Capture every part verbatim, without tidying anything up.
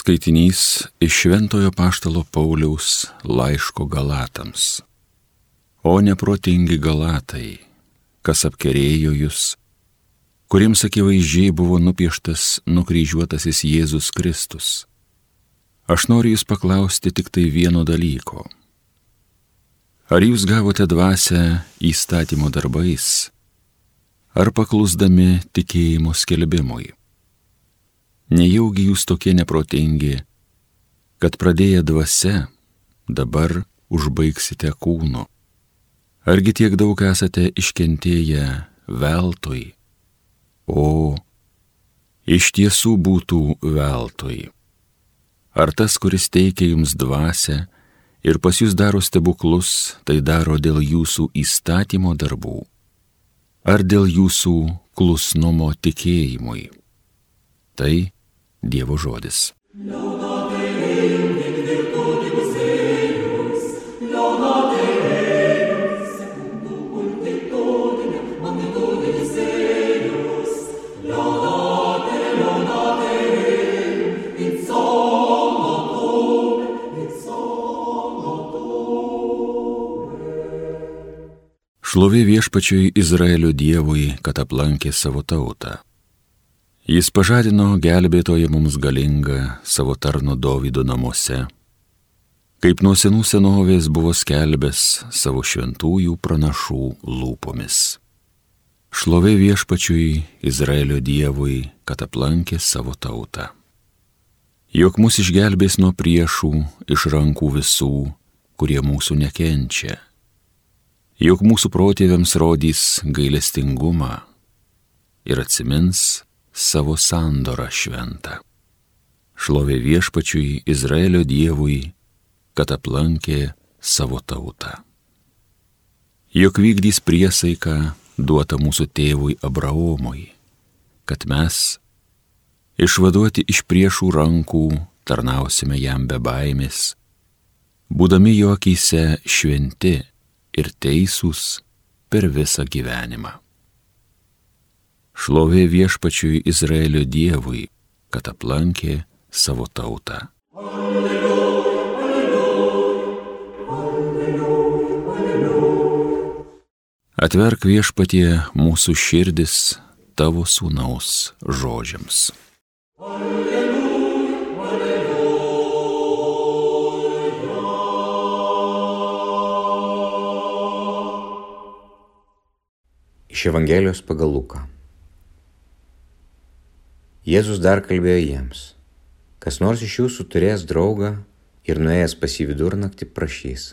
Skaitinys iš Šventojo Apaštalo Pauliaus laiško Galatams. O neprotingi Galatai, kas apkerėjo jūs, kuriems akivaizdžiai buvo nupieštas nukryžiuotasis Jėzus Kristus. Aš noriu jūs paklausti tik tai vieno dalyko. Ar jūs gavote dvasią įstatymo darbais, ar paklusdami tikėjimo skelbimui? Nejaugi jūs tokie neprotingi, kad pradėję dvasia, dabar užbaigsite kūnu? Argi tiek daug esate iškentėję veltui? O, iš tiesų būtų veltui. Ar tas, kuris teikia jums dvasią ir pas jūs daro stebuklus, tai daro dėl jūsų įstatymo darbų, ar dėl jūsų klusnumo tikėjimui? Tai Dievo žodis. Šlovė viešpačiui Izraelio Dievui, kad aplankė savo tautą. Jis pažadino gelbėtoją mums galingą savo tarno Dovydo namuose, kaip nuo senų senovės buvo skelbęs savo šventųjų pranašų lūpomis. Šlovė viešpačiui Izraelio Dievui, kad aplankė savo tautą. Jog mus išgelbės nuo priešų iš rankų visų, kurie mūsų nekenčia. Jog mūsų protėviams rodys gailestingumą ir atsimins savo sandorą šventą. Šlovė viešpačiui Izraelio Dievui, kad aplankė savo tautą. Jog vykdys priesaiką duotą mūsų tėvui Abraomui, kad mes, išvaduoti iš priešų rankų, tarnausime jam be baimės, būdami jo akyse šventi ir teisūs per visą gyvenimą. Šlovė viešpačiui Izraelio Dievui, kad aplankė savo tautą. Alleluja, alleluja, alleluja, alleluja. Atverk viešpatie mūsų širdis tavo sūnaus žodžiams. Alleluja, alleluja. Iš Evangelijos pagal Luką. Jėzus dar kalbėjo jiems, kas nors iš jūsų turės draugą ir nuėjęs pas jį vidurnaktį prašys: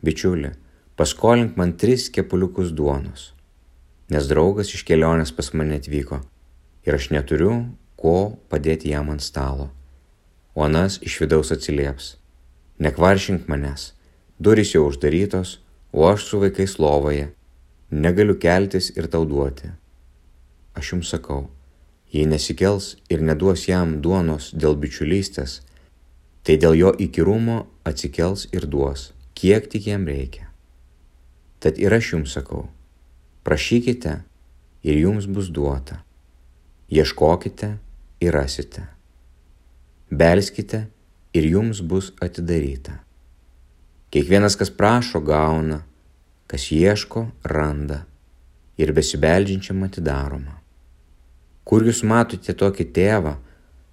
bičiuli, paskolink man tris kepuliukus duonos, nes draugas iš kelionės pas mane atvyko ir aš neturiu ko padėti jam ant stalo. O anas iš vidaus atsilieps: nekvaršink manęs, durys jau uždarytos, o aš su vaikais lovoje, negaliu keltis ir tau duoti. Aš jums sakau, jei nesikels ir neduos jam duonos dėl bičiulystės, tai dėl jo įkyrumo atsikels ir duos, kiek tik jam reikia. Tad ir aš jums sakau, prašykite ir jums bus duota, ieškokite ir rasite, belskite ir jums bus atidaryta. Kiekvienas, kas prašo, gauna, kas ieško, randa ir besibeldžiančiam atidaroma. Kur jūs matote tokį tėvą,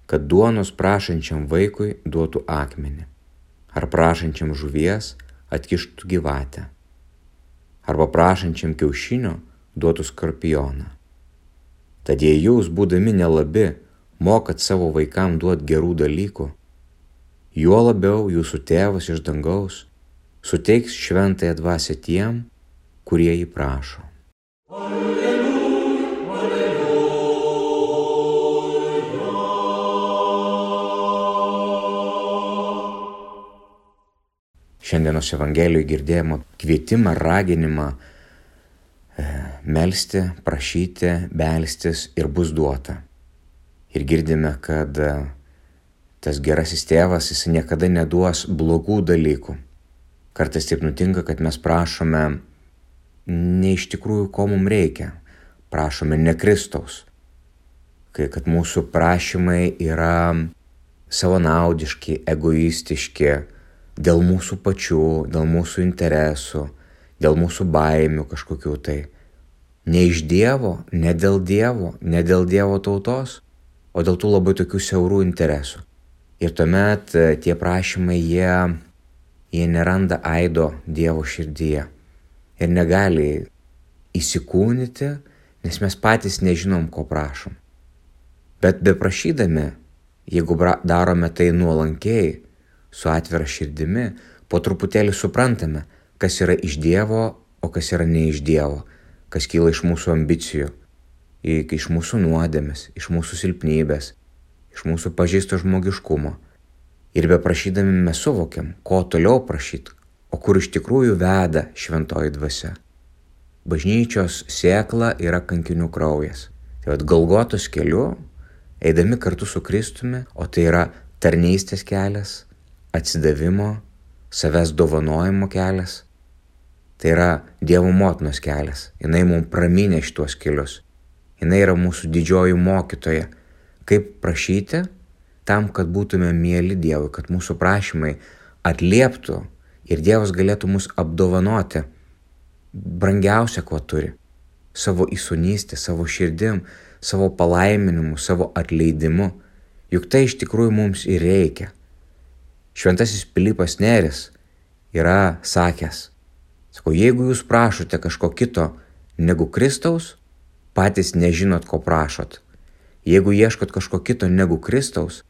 kad duonos prašančiam vaikui duotų akmenį, ar prašančiam žuvies atkištų gyvatę, arba prašančiam kiaušinio duotų skorpioną? Tad jei jūs, būdami nelabi, mokat savo vaikam duoti gerų dalykų, juo labiau jūsų tėvas iš dangaus suteiks šventąją dvasią tiem, kurie jį prašo. Šiandienos Evangelijoje girdėjome kvietimą, raginimą e, melsti, prašyti, belstis ir bus duota. Ir girdime, kad e, tas gerasis tėvas, jis niekada neduos blogų dalykų. Kartais taip nutinka, kad mes prašome ne iš tikrųjų, ko mums reikia. Prašome ne Kristaus. Kai kad mūsų prašymai yra savanaudiški, egoistiški, dėl mūsų pačių, dėl mūsų interesų, dėl mūsų baimių kažkokių tai. Ne iš Dievo, ne dėl Dievo, ne dėl Dievo tautos, o dėl tų labai tokių siaurų interesų. Ir tuomet tie prašymai, jie, jie neranda aido Dievo širdyje ir negali įsikūnyti, nes mes patys nežinom, ko prašom. Bet beprašydami, jeigu darome tai nuolankiai, su atvira širdimi, po truputėlį suprantame, kas yra iš Dievo, o kas yra ne iš Dievo, kas kyla iš mūsų ambicijų, iš mūsų nuodėmės, iš mūsų silpnybės, iš mūsų pažeisto žmogiškumo. Ir beprašydami mes suvokiam, ko toliau prašyti, o kur iš tikrųjų veda šventoji dvasia. Bažnyčios sėkla yra kankinių kraujas. Tai vat Golgotos keliu, eidami kartu su Kristumi, o tai yra tarnystės kelias, atsidavimo, savęs dovanojimo kelias. Tai yra Dievo motinos kelias. Jinai mums praminė šitos kelius. Jinai yra mūsų didžioji mokytoja. Kaip prašyti tam, kad būtume mieli Dievui, kad mūsų prašymai atlieptų ir Dievas galėtų mus apdovanoti brangiausia, ko turi. Savo įsūnystę, savo širdim, savo palaiminimu, savo atleidimu. Juk tai iš tikrųjų mums ir reikia. Šventasis Pilypas Nėris yra sakęs, sako, jeigu jūs prašote kažko kito negu Kristaus, patys nežinot, ko prašot. Jeigu ieškot kažko kito negu Kristaus,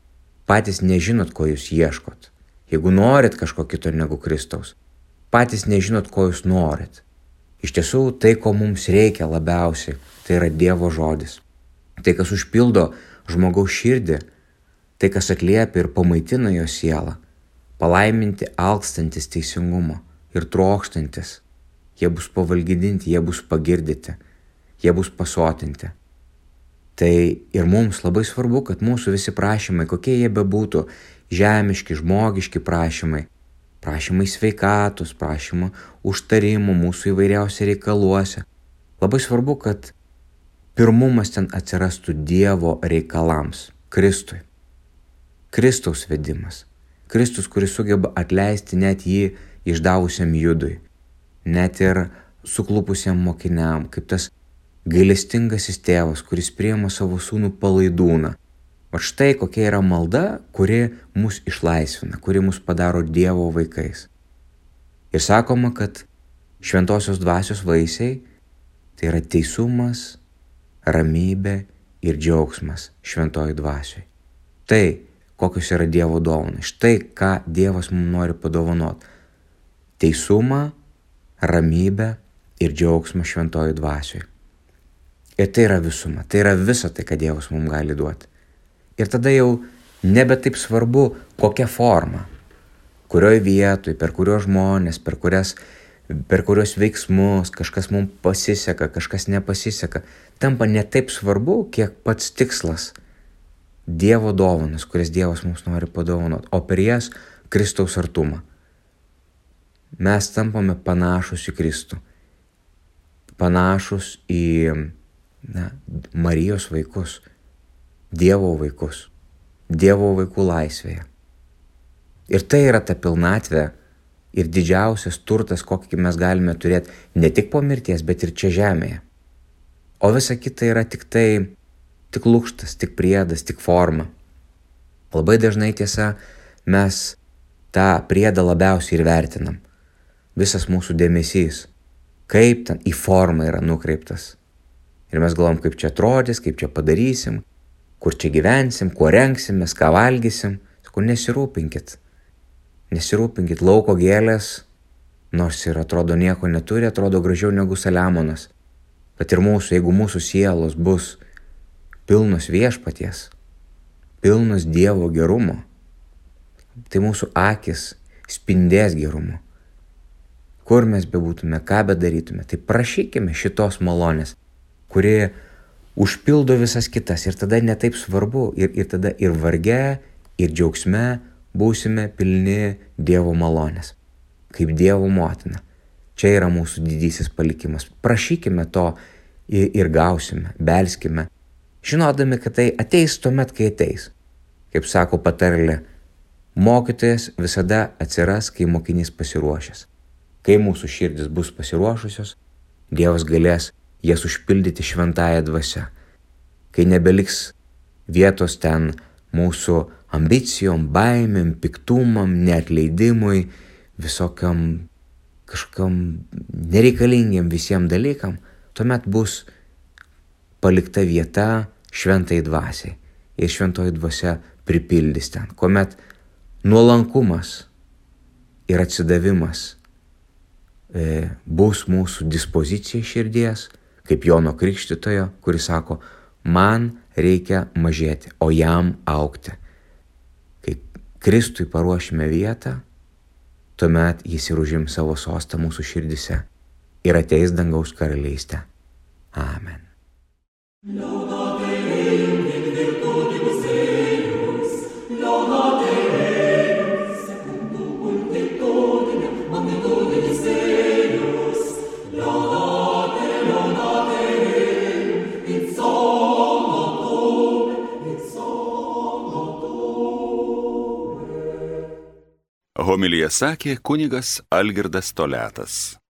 patys nežinot, ko jūs ieškot. Jeigu norit kažko kito negu Kristaus, patys nežinot, ko jūs norit. Iš tiesų, tai, ko mums reikia labiausiai, tai yra Dievo žodis. Tai, kas užpildo žmogaus širdį, tai, kas atliepia ir pamaitina jo sielą, palaiminti alkstantis teisingumo ir trokštantis. Jie bus pavalgydinti, jie bus pagirdyti, jie bus pasotinti. Tai ir mums labai svarbu, kad mūsų visi prašymai, kokie jie bebūtų, žemiški, žmogiški prašymai, prašymai sveikatos, prašymai užtarimų mūsų įvairiausiose reikaluose. Labai svarbu, kad pirmumas ten atsirastų Dievo reikalams, Kristui. Kristaus vedimas. Kristus, kuris sugeba atleisti net jį išdavusiam Judui, net ir suklupusiam mokiniam, kaip tas gailestingasis tėvas, kuris priima savo sūnų palaidūną. O štai kokia yra malda, kuri mus išlaisvina, kuri mus padaro Dievo vaikais. Ir sakoma, kad šventosios dvasios vaisiai tai yra teisumas, ramybė ir džiaugsmas šventojoj dvasioj. Tai, kokios yra Dievo dovanos, štai ką Dievas mums nori padovanoti. Teisumą, ramybę ir džiaugsmą šventojoj dvasioj. Ir tai yra visuma, tai yra visa tai, ką Dievas mums gali duoti. Ir tada jau nebe taip svarbu, kokia forma, kurioj vietoj, per kurios žmonės, per, kurias, per kurios veiksmus kažkas mums pasiseka, kažkas nepasiseka. Tampa ne taip svarbu, kiek pats tikslas Dievo dovanas, kurias Dievas mums nori padovanoti, o per jas Kristaus artumą. Mes tampame panašus į Kristų, panašus į na, Marijos vaikus, Dievo vaikus, Dievo vaikų laisvėje. Ir tai yra ta pilnatvė ir didžiausias turtas, kokį mes galime turėti ne tik po mirties, bet ir čia žemėje. O visa kita yra tik tai, tik lukštas, tik priedas, tik forma. Labai dažnai tiesa, mes tą priedą labiausiai ir vertinam. Visas mūsų dėmesys, kaip ten į formą yra nukreiptas. Ir mes galvom, kaip čia atrodys, kaip čia padarysim, kur čia gyvensim, kuo rengsimės, ką valgysim. Sakau, nesirūpinkit. Nesirūpinkit, lauko gėlės, nors ir atrodo nieko neturi, atrodo gražiau negu Saliamonas. Bet ir mūsų, jeigu mūsų sielos bus pilnos viešpaties, pilnos Dievo gerumo, tai mūsų akis spindės gerumo. Kur mes bebūtume, ką bedarytume, tai prašykime šitos malonės, kuri užpildo visas kitas ir tada netaip svarbu ir, ir tada ir varge, ir džiaugsme būsime pilni Dievo malonės, kaip Dievo motina. Čia yra mūsų didysis palikimas. Prašykime to ir, ir gausime, belskime, žinodami, kad tai ateis tuomet, kai ateis. Kaip sako patarlė, mokytojas visada atsiras, kai mokinys pasiruošęs. Kai mūsų širdis bus pasiruošusios, Dievas galės jas užpildyti šventąją dvasią. Kai nebeliks vietos ten mūsų ambicijom, baimėm, piktumam, neatleidimui, visokiam kažkam nereikalingiem visiems dalykam, tuomet bus palikta vieta šventai dvasiai. Ir šventoji dvasia pripildys ten, kuomet nuolankumas ir atsidavimas e, bus mūsų dispozicija širdies, kaip Jono Krikštytojo, kuris sako, man reikia mažėti, o jam augti. Kai Kristui paruošime vietą, tuomet jis ir užims savo sostą mūsų širdise ir ateis dangaus karalystę. Amen. Homiliją sakė kunigas Algirdas Toliatas.